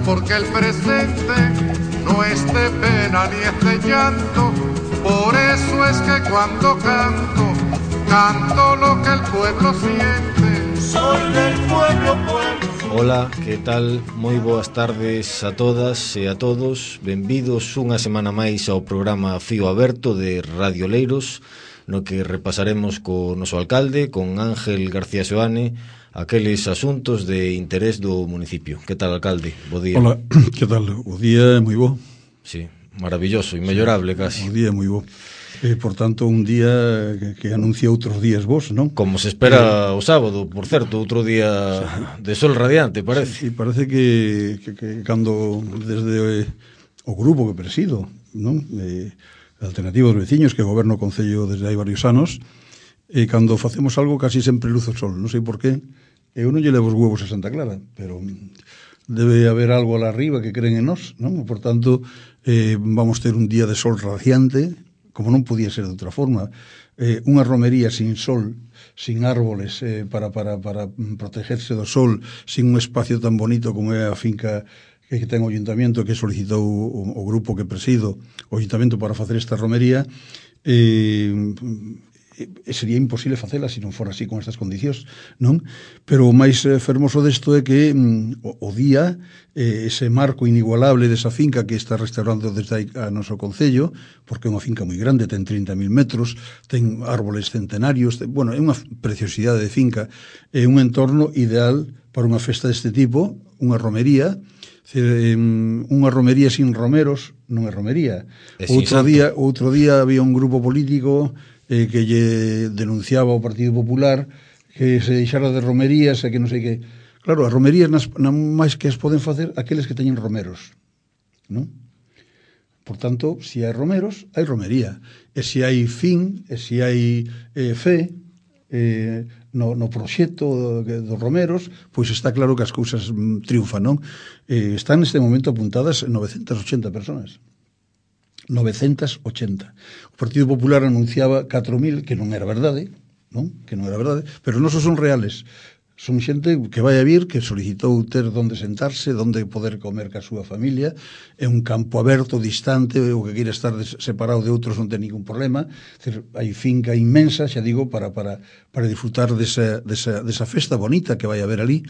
porque el presente no es de pena ni es de llanto. Por eso es que cuando canto, canto lo que el pueblo siente. Soy del pueblo, pueblo. Ola, que tal? Moi boas tardes a todas e a todos. Benvidos unha semana máis ao programa Fío Aberto de Radio Leiros, no que repasaremos co noso alcalde, con Ángel García Seoane, aqueles asuntos de interés do municipio. Que tal, alcalde? Bo día. Hola, que tal? O día é moi bo. Sí, maravilloso, inmellorable casi. O día é moi bo. Por tanto, un día que anuncia outros días vos, non? Como se espera o sábado, por certo, outro día de sol radiante, parece. Sí, parece que cando desde o grupo que presido, non? Alternativa dos Veciños, que goberno o Concello desde hai varios anos, cando facemos algo casi sempre luz o sol, non sei por qué. Eu non lle levo os huevos a Santa Clara, pero debe haber algo alá arriba que creen en nós, non? Por tanto, vamos ter un día de sol radiante, como non podía ser de outra forma. Unha romería sin sol, sin árboles para protegerse do sol, sin un espacio tan bonito como é a finca que ten o Ayuntamiento, que solicitou o grupo que presido, o Ayuntamiento, para facer esta romería, sería imposible facela se non fora así con estas condicións, non? Pero o máis fermoso desto é que o día, ese marco inigualable desa finca que está restaurando desde aí a noso concello, porque é unha finca moi grande, ten 30.000 metros, ten árboles centenarios, é unha preciosidade de finca, é un entorno ideal para unha festa deste tipo, unha romería. Unha romería sin romeros non é romería. Outro día había un grupo político que lle denunciaba ao Partido Popular que se deixara de romerías e que non sei que. Claro, as romerías máis que as poden facer aqueles que teñen romeros, non? Por tanto, se hai romeros, hai romería. E se hai fin, e se hai fe no proxecto dos romeros, pois está claro que as cousas triunfan, non? Están neste momento apuntadas 980 personas. 980. O Partido Popular anunciaba 4.000, que non era verdade, non? Que non era verdade, pero non son reales. Son xente que vai a vir, que solicitou ter onde sentarse, onde poder comer ca súa familia. É un campo aberto, distante, o que queira estar separado de outros non ten ningún problema. Hai finca inmensa, xa digo, para disfrutar desa festa bonita que vai haber ali.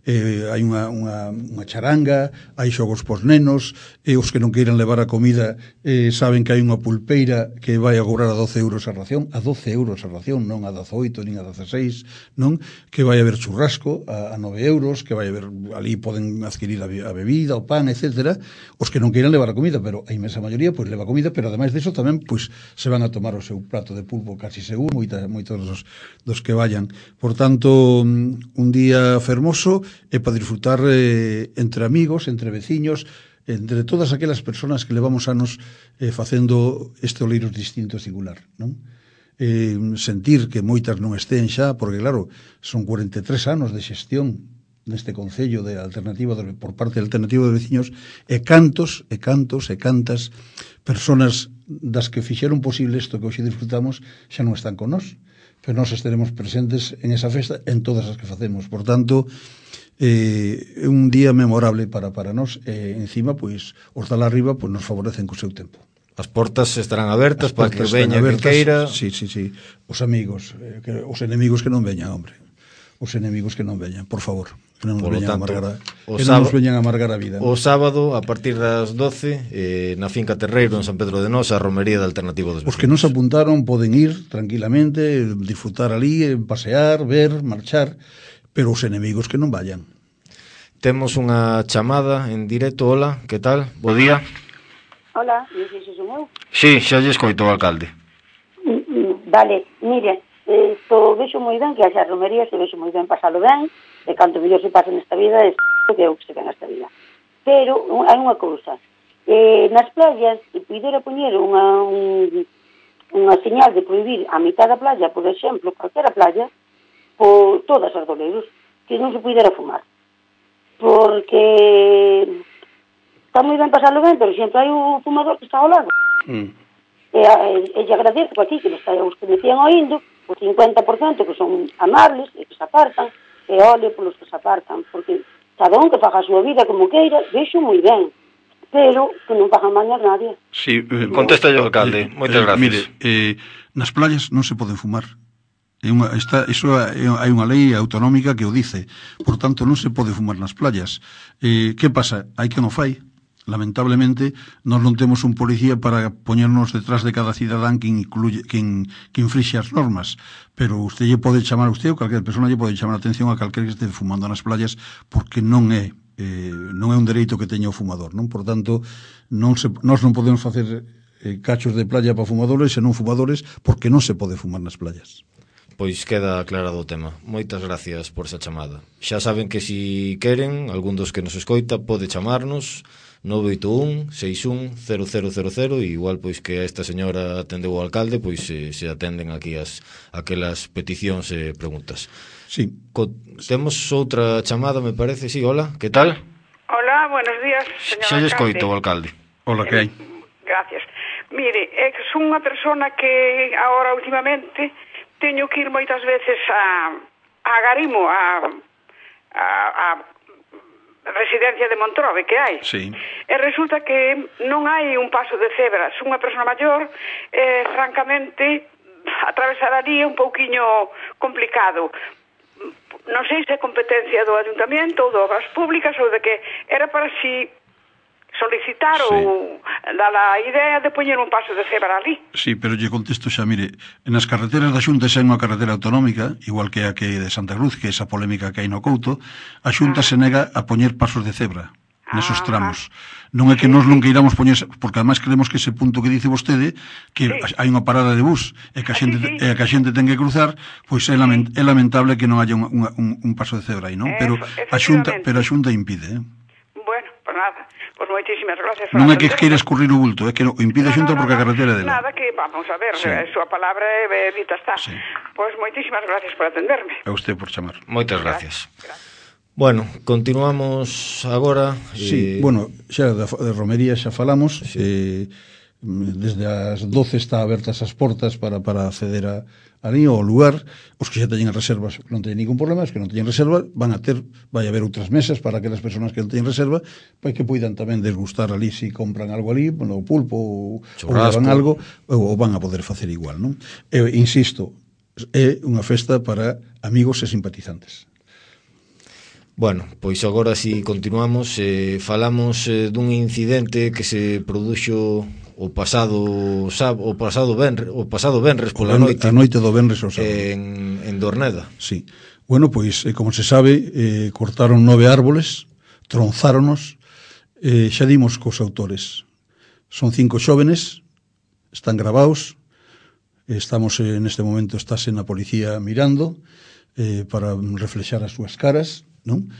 Hai unha charanga, hai xogos pos nenos, os que non queiran levar a comida saben que hai unha pulpeira que vai a cobrar a 12 euros a ración, non a 18 nin a 16, non? Que vai haber churrasco a 9 euros, que vai haber, ali poden adquirir a bebida, o pan, etc. Os que non queiran levar a comida, pero a inmensa maioría pois leva comida, pero ademais diso tamén pois se van a tomar o seu prato de pulpo casi seguro, moitos dos que vayan. Por tanto, un día fermoso é para disfrutar entre amigos, entre veciños, entre todas aquelas persoas que levamos anos facendo este Oleiros distinto e singular, non? Sentir que moitas non estén xa, porque claro, son 43 anos de xestión neste concello de alternativa por parte da Alternativa dos Veciños, e cantas persoas das que fixeron posible isto que hoxe disfrutamos xa non están con nós, pero nós estaremos presentes en esa festa en todas as que facemos. Por tanto, é un día memorable para nós, e encima, pois, os da lá arriba pois nos favorecen co seu tempo. As portas estarán abertas para que veña quen queira. Sí. Os amigos, os enemigos que non veñan, hombre. Os enemigos que non veñan, por favor. Que non nos veñan a amargar a vida. O sábado, a partir das 12, na finca Terreiro, en San Pedro de Nos, a romería da Alternativa dos Veciños. Os que non se apuntaron poden ir tranquilamente, disfrutar ali, pasear, ver, marchar, pero os enemigos que non vayan. Temos unha chamada en directo. Hola, que tal? Bo día. Hola, dices son eu? Sí, xa lle escoito o alcalde. Vale, mire, vexo moi ben que haxa romerías, vexo moi ben pasalo ben, e canto mellor se pasa nesta vida é que é o que se ve nesta vida. Pero hai unha cousa, nas playas, se pudera poñer unha señal de prohibir a mitad da playa, por exemplo, calquera playa, por todas as doleiros, que non se pudera fumar. Porque está moi ben pasarlo ben, pero sempre hai un fumador que está ao lado. E lle agradezco aquí que os que me decían oindo, o 50% que son amables e que se apartan, e ole polos que se apartan, porque cada un que faga a súa vida como queira, vexo moi ben, pero que non fagan mal a nadie. Sí, contesta yo, alcalde, moitas gracias. Mire, nas playas non se poden fumar. Hai unha lei autonómica que o dice, por tanto non se pode fumar nas playas. Que pasa? Hai que non fai. Lamentablemente, nós non temos un policía para poñernos detrás de cada cidadán que infrixe as normas, pero usted lle pode chamar, usted ou calquera persona lle pode chamar a atención a calquera que este fumando nas playas, porque non é un dereito que teña o fumador, non? Por tanto, nós non podemos facer cachos de playa para fumadores e non fumadores, porque non se pode fumar nas playas. Pois queda aclarado o tema. Moitas gracias por esa chamada. Xa saben que si queren, algún dos que nos escoita pode chamarnos 981-61-0000 e igual pois que a esta señora atendeu o alcalde, pois se atenden aquí aquelas peticións e preguntas. Sí. Temos outra chamada, me parece. Sí, hola, que tal? Hola, buenos días, señor alcalde. Xa lle escoito o alcalde. Hola, que hai? Gracias. Mire, son unha persona que agora últimamente teño que ir moitas veces a Garimo, a residencia de Montrove que hai. Sí. E resulta que non hai un paso de cebra. Son unha persona maior, francamente, atravesar ali é un pouquiño complicado. Non sei se é competencia do Ayuntamiento ou de Obras Públicas ou de que era para si solicitar ou dar a idea de poñer un paso de cebra ali. Sí, pero lle contesto xa, mire, nas carreteras da Xunta xa é unha carretera autonómica, igual que a que de Santa Cruz, que é esa polémica que hai no Couto, a Xunta se nega a poñer pasos de cebra nesos tramos. Non é que nós non queiramos poñer, porque además creemos que ese punto que dice vostede, que hai unha parada de bus e que a xente ten que cruzar, pois é lamentable que non haya un paso de cebra aí, non? Pero a Xunta impide, Bueno, pues nada. Pois moitísimas gracias. Non é que queira escurrir o bulto, é que o impide a Xunta porque a carretera é dela. Nada, que vamos a ver, a súa palabra é dita está. Sí. Pois moitísimas gracias por atenderme. A usted por chamar. Moitas gracias. Bueno, continuamos agora. Sí, bueno, xa de romería xa falamos. Sí. Desde as 12 está abertas as portas para acceder ali ao lugar. Os que xa teñen reservas non teñen ningún problema, os que non teñen reserva vai haber outras mesas para aquelas persoas que non teñen reserva, para que poidan tamén desgustar ali se compran algo ali, bueno, pulpo ou levan algo, ou van a poder facer igual, non? Insisto, é unha festa para amigos e simpatizantes. Bueno, pois agora si continuamos, falamos dun incidente que se produxo o pasado venres pola noite. A noite do venres ao sábado. En Dorneda. Sí. Bueno, pois, como se sabe, cortaron 9 árboles, tronzáronos, xa dimos cos autores. Son 5 xóvenes, están gravados, estamos neste momento, estáse na policía mirando, para reflexar as súas caras, non?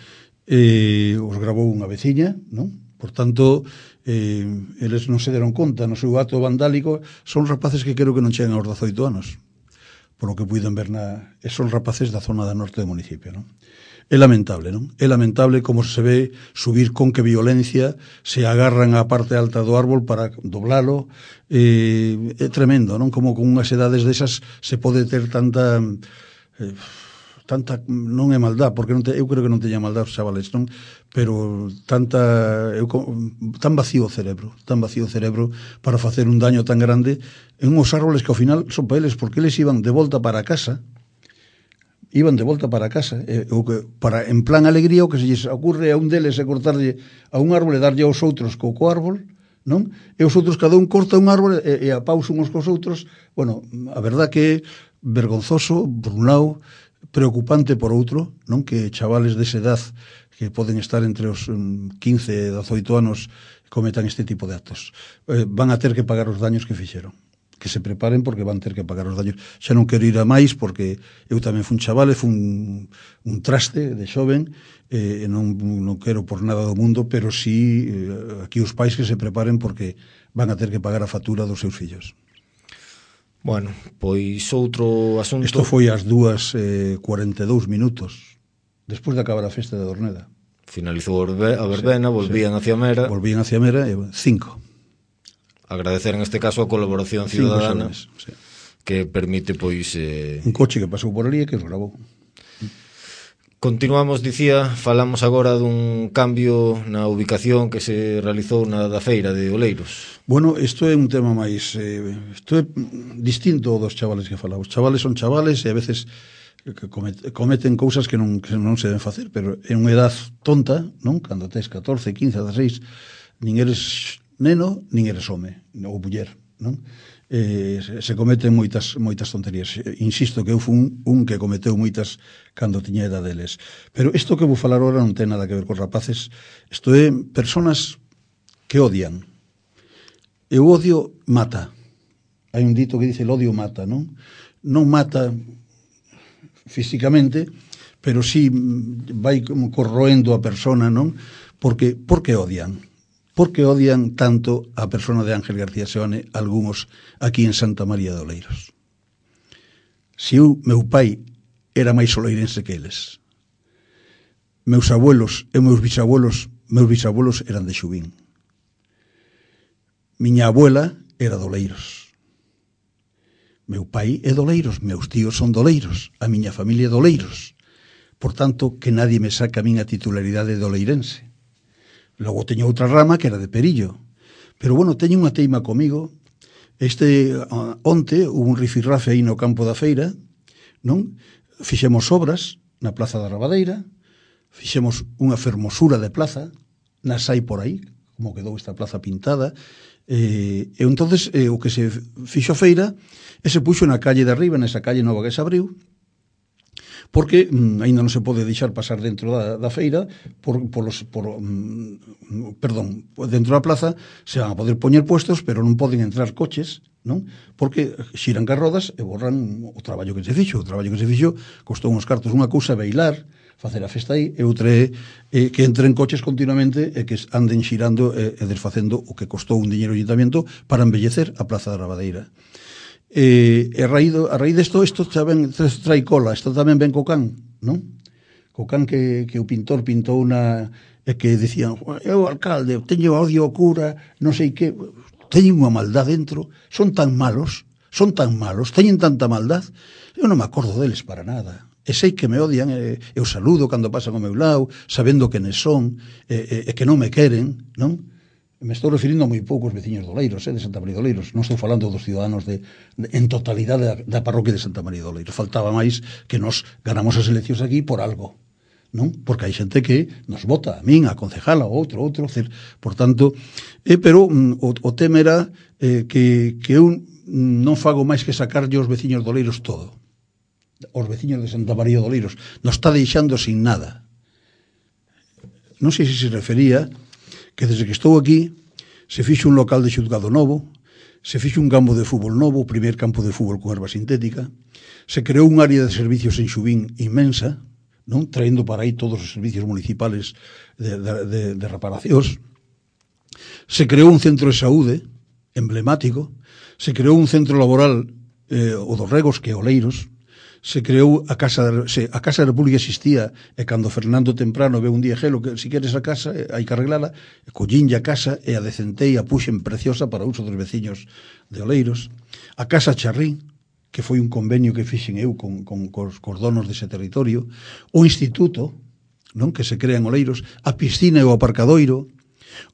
Os gravou unha veciña, non? Por tanto, eles non se deron conta no seu acto vandálico, son rapaces que creo que non chegan aos 18 anos, por lo que puiden ver son rapaces da zona da norte do municipio, non? É lamentable, non? É lamentable como se ve subir con que violencia, se agarran á parte alta do árbol para doblalo, é tremendo, non? Como con unhas edades desas se pode ter tanta non é maldad, porque eu creo que non teña maldad os chavales, non? Pero tan vacío o cerebro para facer un daño tan grande en uns árboles que ao final son para eles, porque eles iban de volta para casa, para en plan alegría, o que se lles ocurre a un deles é cortarlle a un árbol e darlle aos outros co árbol, non? E os outros cada un corta un árbol e a pausa uns cos outros. Bueno, a verdad que é vergonzoso por un lado, preocupante por outro, non? Que chavales desa edad que poden estar entre os 15 e 18 anos cometan este tipo de actos. Van a ter que pagar os daños que fixeron. Que se preparen porque van ter que pagar os daños. Xa non quero ir a máis porque eu tamén fui un chaval, fui un traste de xoven, e non quero por nada do mundo, pero sí aquí os pais que se preparen porque van a ter que pagar a factura dos seus fillos. Bueno, pois outro asunto... Isto foi ás 2:42 despois de acabar a festa de Dorneda. Finalizou a verbena, volvían hacia Mera. Volvían hacia Mera e 5. Agradecer en este caso a colaboración ciudadana que permite, pois... Un coche que pasou por ali e que os grabou. Continuamos, dicía, falamos agora dun cambio na ubicación que se realizou na da feira de Oleiros. Bueno, isto é un tema máis isto é distinto dos chavales que falamos. Os chavales son chavales e a veces cometen cousas que non se deben facer, pero é unha edad tonta, non? Cando tes 14, 15, 16, nin eres neno, nin eres home ou muller, non? Se cometen moitas tonterías. Insisto que eu fui un que cometeu moitas cando tiña edad deles. Pero isto que vou falar agora non ten nada que ver cos rapaces. Isto é personas que odian. E o odio mata. Hai un dito que dice el odio mata, non? Non mata físicamente, pero sí vai como corroendo a persona, non? Por que odian? Por que odian tanto a persona de Ángel García Seoane algúns aquí en Santa María de Oleiros? Se meu pai era máis oleirense que eles. Meus abuelos e meus bisabuelos eran de Xubín. Miña abuela era de Oleiros. Meu pai é de Oleiros, meus tíos son de Oleiros, a miña familia é de Oleiros. Por tanto, que nadie me saca a min a titularidade de oleirense. Logo teño outra rama que era de Perillo. Pero, bueno, teño unha teima comigo. Onte, hubo un rifirrafe aí no campo da feira, non? Fixemos obras na Plaza da Rabadeira, fixemos unha fermosura de plaza, nas hai por aí, como quedou esta plaza pintada, e entonces o que se fixo a feira e se puxo na calle de arriba, nesa calle nova que se abriu, porque aínda non se pode deixar pasar dentro da feira dentro da plaza se van a poder poñer puestos, pero non poden entrar coches, non? Porque xiran carrodas e borran o traballo que se fixo. O traballo que se fixo costou uns cartos. Unha cousa é bailar, facer a festa aí, e outra é que entren coches continuamente e que anden xirando e desfacendo o que costou un diñeiro de ayuntamiento para embellecer a Plaza da Rabadeira. A raíz desto, isto tamén trai cola. Isto tamén ven co can, non? Co can que o pintor pintou e que dicían, eu alcalde, teño odio ao cura, non sei que, teñen unha maldad dentro, son tan malos, teñen tanta maldad, eu non me acordo deles para nada. E sei que me odian, eu saludo cando pasan ao meu lado, sabendo que nes son, e que non me queren, non? Me estou referindo a moi poucos veciños de Oleiros, de Santa María de Oleiros. Non estou falando dos ciudadanos en totalidade da parroquia de Santa María de Oleiros. Faltaba máis que nos ganamos as eleccións aquí por algo, non? Porque hai xente que nos vota, a min, a concejala, a outro. Por tanto, pero o tema era que eu non fago máis que sacarlle aos veciños de Oleiros todo. Os veciños de Santa María de Oleiros nos está deixando sin nada. Non sei se refería que desde que estou aquí se fixo un local de xulgado novo, se fixo un campo de fútbol novo, o primer campo de fútbol con erva sintética, se creou un área de servicios en Xubín inmensa, non? Traendo para aí todos os servicios municipales de reparacións, se creou un centro de saúde emblemático, se creou un centro laboral o dos Regos, que é Oleiros, se creou a Casa da República existía, e cando Fernando Temprano ve un día gelo que si queres a casa hai que arreglala, collínlle a casa e a decentei, a puxen preciosa para uso dos veciños de Oleiros. A Casa Charrín, que foi un convenio que fixen eu con os donos dese territorio. O instituto, non, que se crea en Oleiros, a piscina e o aparcadoiro,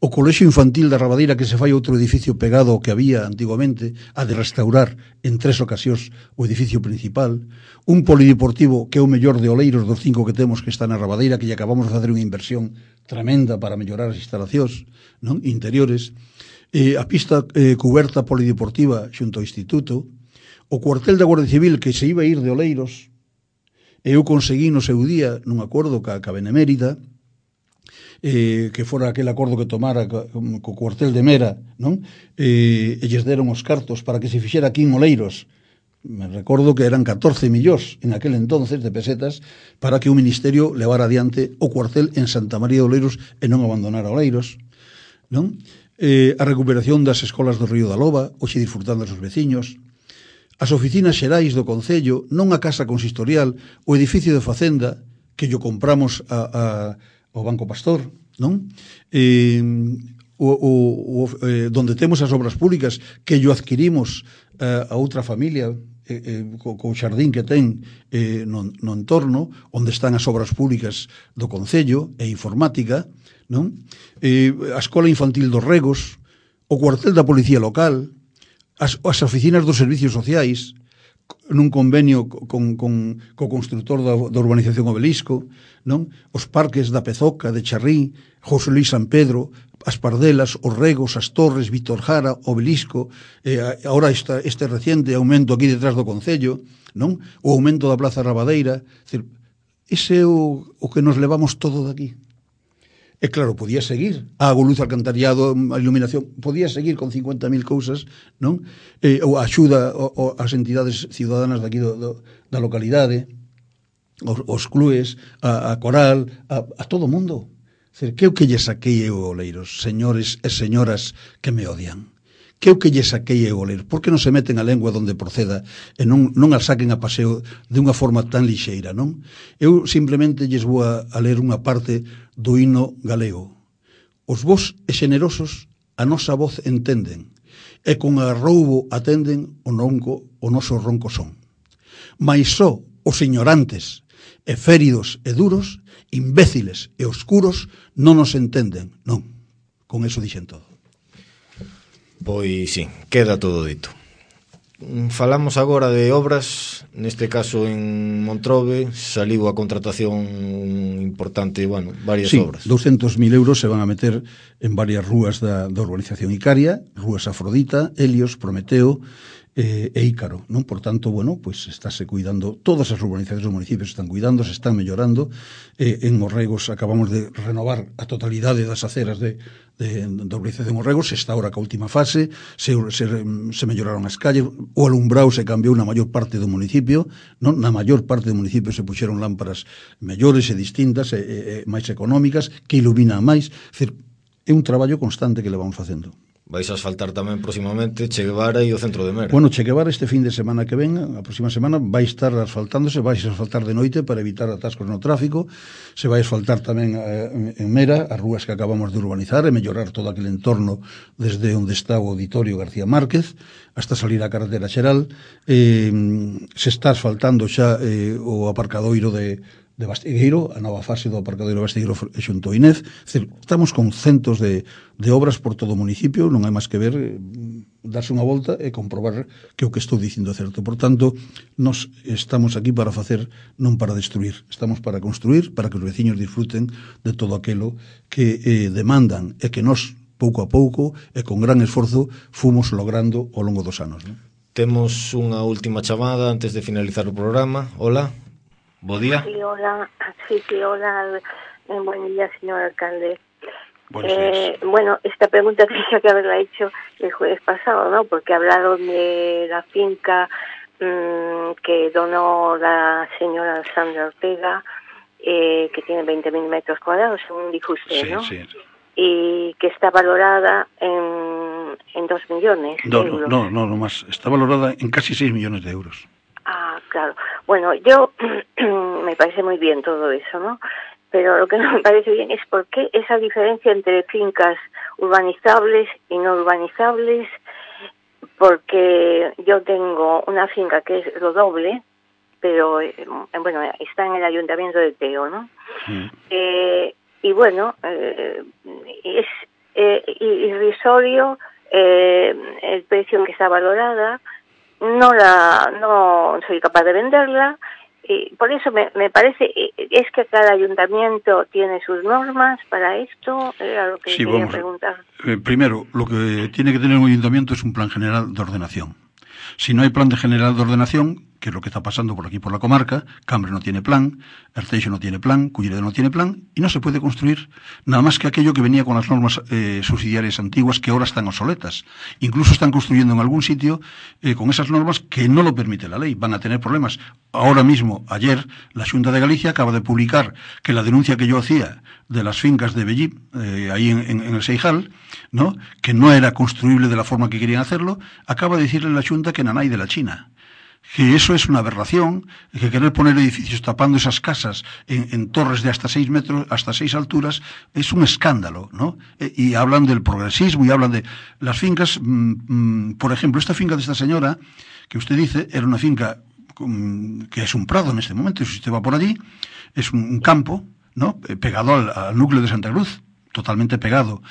o colexio infantil da Rabadeira, que se fai outro edificio pegado ao que había antiguamente, a de restaurar en 3 ocasións o edificio principal, un polideportivo que é o mellor de Oleiros dos 5 que temos, que está na Rabadeira, que lle acabamos de facer unha inversión tremenda para mellorar as instalacións, non, interiores, a pista cuberta polideportiva xunto ao instituto, o cuartel da Guardia Civil que se iba a ir de Oleiros, e eu conseguí no seu día, nun acordo ca Benemérita, que fora aquel acordo que tomara co cuartel de Mera, non? E lles deron os cartos para que se fixera aquí en Oleiros. Me recordo que eran 14 millóns en aquel entonces de pesetas para que o Ministerio levara adiante o cuartel en Santa María de Oleiros e non abandonara Oleiros, non? A recuperación das escolas do Río da Loba, hoxe disfrutando dos veciños, as oficinas xerais do Concello, non a casa consistorial, o edificio de Facenda, que yo compramos ao Banco Pastor, non? Donde temos as obras públicas que yo adquirimos a outra familia co xardín que ten no entorno, onde están as obras públicas do Concello e informática, non? A Escola Infantil dos Regos, o cuartel da Policía Local, as oficinas dos servicios sociais, nun convenio co constructor da urbanización Obelisco, non? Os parques da Pezoca, de Charrín, José Luis San Pedro, as Pardelas, os Regos, as Torres, Víctor Jara, Obelisco, agora este reciente aumento aquí detrás do Concello, non? O aumento da Plaza Rabadeira. Ese é o que nos levamos todo daqui. E claro, podía seguir a auga, luz, alcantariado, a iluminación, podía seguir con 50.000 cousas, non? Ou a axuda ás entidades ciudadanas daqui da localidade, os clubes, a coral, a todo o mundo. Que o que lle saquei eu, Oleiros, señores e señoras que me odian? Que o que lle saquei eu, Oleiros? Por que non se meten a lengua donde proceda e non a saquen a paseo de unha forma tan lixeira, non? Eu simplemente lles vou a ler unha parte do himno galego. Os vos e xenerosos a nosa voz entenden, e con arroubo atenden o noso ronco son. Mais só os ignorantes e féridos e duros, imbéciles e oscuros, non nos entenden, non. Con eso dixen todo. Pois sí, queda todo dito. Falamos agora de obras, neste caso en Montrobe saliu a contratación importante, varias obras. 200.000 euros se van a meter en varias rúas da urbanización Icaria, rúas Afrodita, Helios, Prometeo e Ícaro, non? Por tanto, pues estáse cuidando, todas as urbanizacións dos municipios están cuidando, se están mellorando. En Orregos acabamos de renovar a totalidade das aceras da urbanización Orregos, se está ahora ca última fase, se melloraron as calles, o alumbrado se cambiou na maior parte do municipio, non? Na maior parte do municipio se puxeron lámparas mellores e distintas e máis económicas, que iluminan máis. É un traballo constante que le vamos facendo. Vais a asfaltar tamén próximamente Che Guevara e o centro de Mera. Che Guevara este fin de semana que ven, a próxima semana, vai estar asfaltándose, vai a asfaltar de noite para evitar atascos no tráfico, se vai asfaltar tamén en Mera, as rúas que acabamos de urbanizar e mellorar todo aquele entorno desde onde está o auditorio García Márquez hasta salir a carretera xeral. Se está asfaltando xa o aparcadoiro de Bastigueiro, a nova fase do aparcadoiro de Bastigueiro xunto a Inés. Estamos con centos de obras por todo o municipio, non hai máis que ver, darse unha volta e comprobar que o que estou dicindo é certo. Por tanto, nos estamos aquí para facer, non para destruir, estamos para construir, para que os veciños disfruten de todo aquilo que demandan e que nos, pouco a pouco e con gran esforzo, fomos logrando ao longo dos anos, non? Temos unha última chamada antes de finalizar o programa. Hola. Bo día. Sí, hola. Buen día, señor alcalde. Buenos días. Esta pregunta tenía que haberla hecho el jueves pasado, ¿no? Porque hablaron de la finca que donó la señora Sandra Ortega, que tiene 20.000 metros cuadrados, según dijo usted, ¿no? Sí. Y que está valorada en 2 millones de euros. No más. Está valorada en casi 6 millones de euros. Ah, claro. Yo me parece muy bien todo eso, ¿no? Pero lo que no me parece bien es por qué esa diferencia entre fincas urbanizables y no urbanizables, porque yo tengo una finca que es lo doble, pero está en el ayuntamiento de Teo, ¿no? Sí. Es irrisorio el precio que está valorada. No soy capaz de venderla, y por eso me parece, es que cada ayuntamiento tiene sus normas para esto, era lo que quería preguntar. Primero, lo que tiene que tener un ayuntamiento es un plan general de ordenación. Si no hay plan general de ordenación, que es lo que está pasando por aquí por la comarca, Cambre no tiene plan, Arteixo no tiene plan, Culleredo no tiene plan, y no se puede construir nada más que aquello que venía con las normas subsidiarias antiguas que ahora están obsoletas. Incluso están construyendo en algún sitio con esas normas que no lo permite la ley. Van a tener problemas. Ahora mismo, ayer, la Xunta de Galicia acaba de publicar que la denuncia que yo hacía de las fincas de Bellí, ahí en el Seijal, ¿no?, que no era construible de la forma que querían hacerlo, acaba de decirle la Xunta que nanay de la China. que eso es una aberración, que querer poner edificios tapando esas casas en torres de hasta 6 metros, hasta 6 alturas, es un escándalo, ¿no? Y hablan del progresismo y hablan de las fincas, por ejemplo, esta finca de esta señora, que usted dice, era una finca que es un prado en este momento, si usted va por allí, es un campo, ¿no? Pegado al núcleo de Santa Cruz, totalmente pegado,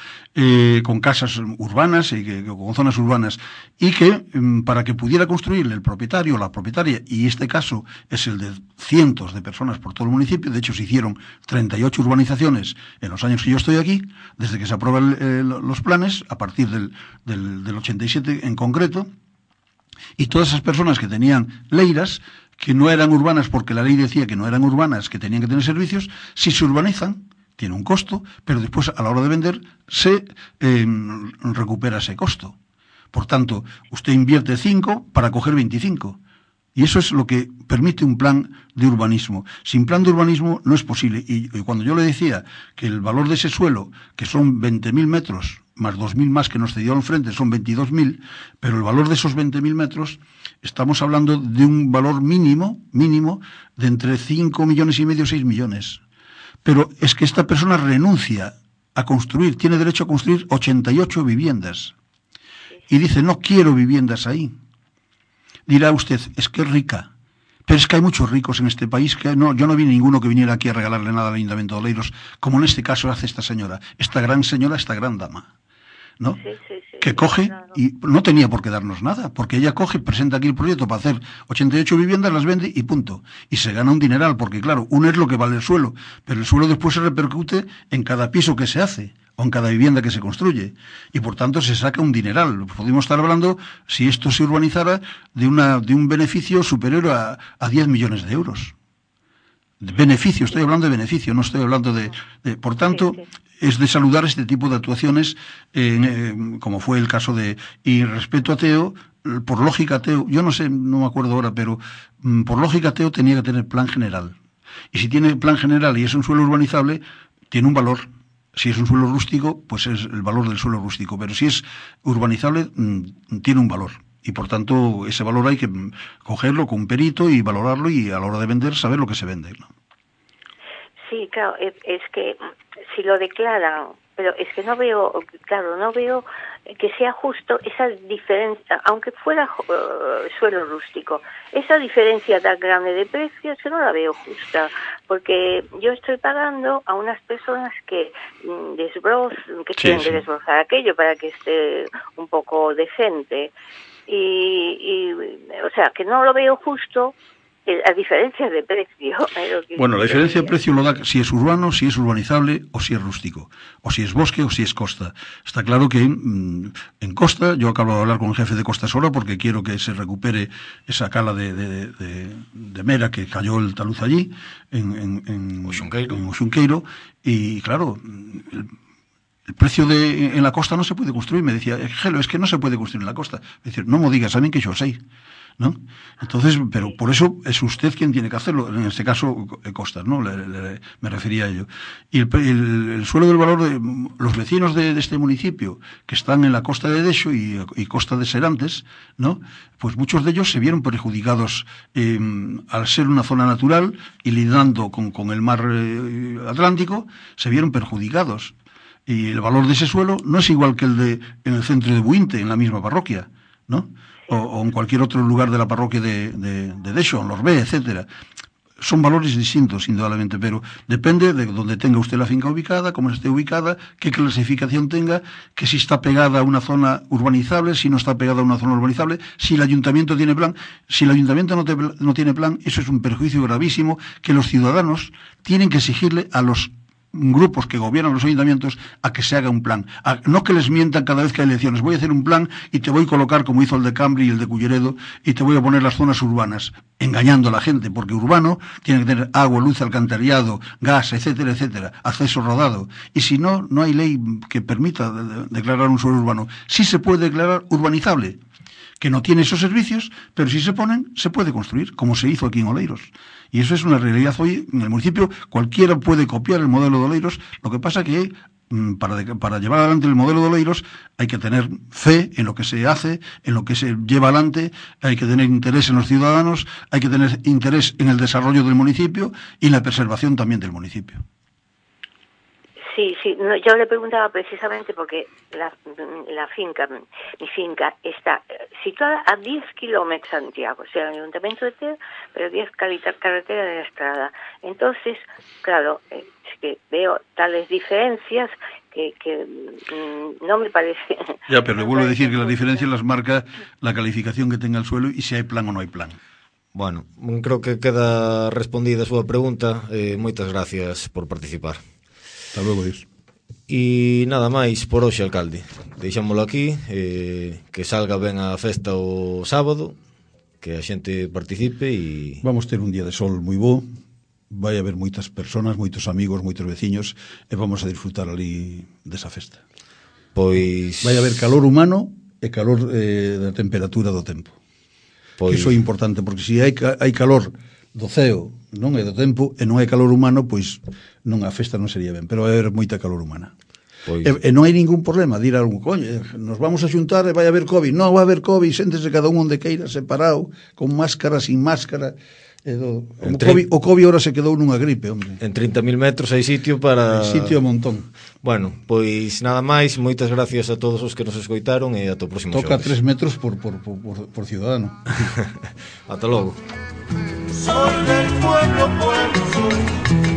con casas urbanas y con zonas urbanas, y que para que pudiera construir el propietario o la propietaria, y este caso es el de cientos de personas por todo el municipio, de hecho se hicieron 38 urbanizaciones en los años que yo estoy aquí, desde que se aprueban los planes, a partir del 87 en concreto, y todas esas personas que tenían leiras, que no eran urbanas porque la ley decía que no eran urbanas, que tenían que tener servicios, si se urbanizan, tiene un costo, pero después a la hora de vender se recupera ese costo. Por tanto, usted invierte 5 para coger 25. Y eso es lo que permite un plan de urbanismo. Sin plan de urbanismo no es posible. Y cuando yo le decía que el valor de ese suelo, que son 20.000 metros, más 2.000 más que nos cedió enfrente, son 22.000, pero el valor de esos 20.000 metros, estamos hablando de un valor mínimo de entre 5 millones y medio, 6 millones. Pero es que esta persona renuncia a construir, tiene derecho a construir 88 viviendas. Y dice, no quiero viviendas ahí. Dirá usted, es que es rica. Pero es que hay muchos ricos en este país que no, yo no vi ninguno que viniera aquí a regalarle nada al Ayuntamiento de Oleiros, como en este caso hace esta señora, esta gran dama, ¿no? Sí, que coge, claro. Y no tenía por qué darnos nada, porque ella coge, presenta aquí el proyecto para hacer 88 viviendas, las vende y punto. Y se gana un dineral, porque claro, uno es lo que vale el suelo, pero el suelo después se repercute en cada piso que se hace, o en cada vivienda que se construye, y por tanto se saca un dineral. Podemos estar hablando, si esto se urbanizara, de un beneficio superior a 10 millones de euros. De beneficio, estoy hablando de beneficio, no estoy hablando de por tanto, es de saludar este tipo de actuaciones, como fue el caso y respecto a Teo, por lógica Teo, yo no sé, no me acuerdo ahora, pero por lógica Teo tenía que tener plan general. Y si tiene plan general y es un suelo urbanizable, tiene un valor. Si es un suelo rústico, pues es el valor del suelo rústico, pero si es urbanizable, tiene un valor. Y por tanto, ese valor hay que cogerlo con un perito y valorarlo, y a la hora de vender, saber lo que se vende, ¿no? Sí, claro, es que si lo declaran, pero es que no veo que sea justo esa diferencia, aunque fuera suelo rústico, esa diferencia tan grande de precios, que no la veo justa, porque yo estoy pagando a unas personas que tienen que desbrozar aquello para que esté un poco decente, y o sea, que no lo veo justo. A diferencia de precio. Bueno, la diferencia de precio lo da si es urbano, si es urbanizable o si es rústico, o si es bosque o si es costa. Está claro que en costa, yo acabo de hablar con el jefe de Costas ahora porque quiero que se recupere esa cala de mera que cayó el talud allí, en Oxunqueiro, y claro, el precio en la costa no se puede construir. Me decía, Gelo, es que no se puede construir en la costa. Me decía, no me digas, saben que yo sé, ¿no? Entonces, pero por eso es usted quien tiene que hacerlo, en este caso Costas, ¿no? Me refería a ello. Y el suelo del valor de los vecinos de este municipio, que están en la costa de Dexo y costa de Serantes, ¿no? Pues muchos de ellos se vieron perjudicados al ser una zona natural y lidando con el mar Atlántico, se vieron perjudicados. Y el valor de ese suelo no es igual que en el centro de Buinte, en la misma parroquia, ¿no? O en cualquier otro lugar de la parroquia de Dexo, en Lorbé, etcétera. Son valores distintos, indudablemente, pero depende de donde tenga usted la finca ubicada, cómo esté ubicada, qué clasificación tenga, que si está pegada a una zona urbanizable, si no está pegada a una zona urbanizable, si el ayuntamiento tiene plan. Si el ayuntamiento no tiene plan, eso es un perjuicio gravísimo que los ciudadanos tienen que exigirle a los grupos que gobiernan los ayuntamientos a que se haga un plan, no que les mientan cada vez que hay elecciones. Voy a hacer un plan y te voy a colocar, como hizo el de Cambri y el de Culleredo, y te voy a poner las zonas urbanas, engañando a la gente, porque urbano tiene que tener agua, luz, alcantarillado, gas, etcétera, etcétera, acceso rodado, y si no, no hay ley que permita declarar un suelo urbano. Sí se puede declarar urbanizable, que no tiene esos servicios, pero si se ponen, se puede construir, como se hizo aquí en Oleiros. Y eso es una realidad hoy en el municipio. Cualquiera puede copiar el modelo de Oleiros. Lo que pasa que para llevar adelante el modelo de Oleiros hay que tener fe en lo que se hace, en lo que se lleva adelante, hay que tener interés en los ciudadanos, hay que tener interés en el desarrollo del municipio y en la preservación también del municipio. Sí, no, yo le preguntaba precisamente porque la finca, mi finca, está situada a 10 kilómetros de Santiago, o sea, el Ayuntamiento de Ter, pero 10 carretera de la Estrada. Entonces, claro, es que veo tales diferencias que no me parece... Ya, pero le vuelvo a decir que las diferencias las marca la calificación que tenga el suelo y si hai plan ou non hai plan. Bueno, creo que queda respondida a súa pregunta. Moitas gracias por participar. Hasta luego, Dios. E nada máis por hoxe, alcalde. Deixámoslo aquí, que salga ben a festa o sábado, que a xente participe e... Vamos ter un día de sol moi bo, vai haber moitas personas, moitos amigos, moitos veciños, e vamos a disfrutar ali desa festa. Pois... Vai haber calor humano e calor da temperatura do tempo. Pois... Que iso é importante, porque se hai calor do ceo, non é do tempo, e non hai calor humano, pois non a festa non sería ben, pero vai haber moita calor humana. Pois... E non hai ningún problema de ir a algún coño, nos vamos a xuntar e vai haber COVID. Non vai haber COVID, séntese cada un onde queira, separado, con máscara, sin máscara. O COVID ahora se quedou nunha gripe, hombre. En 30.000 metros hai sitio para... Hai sitio a montón. Bueno, pois nada máis, moitas gracias a todos os que nos escoitaron e ata o próximo Toca xoves. 3 metros por ciudadano. Ata logo. Soy del pueblo, soy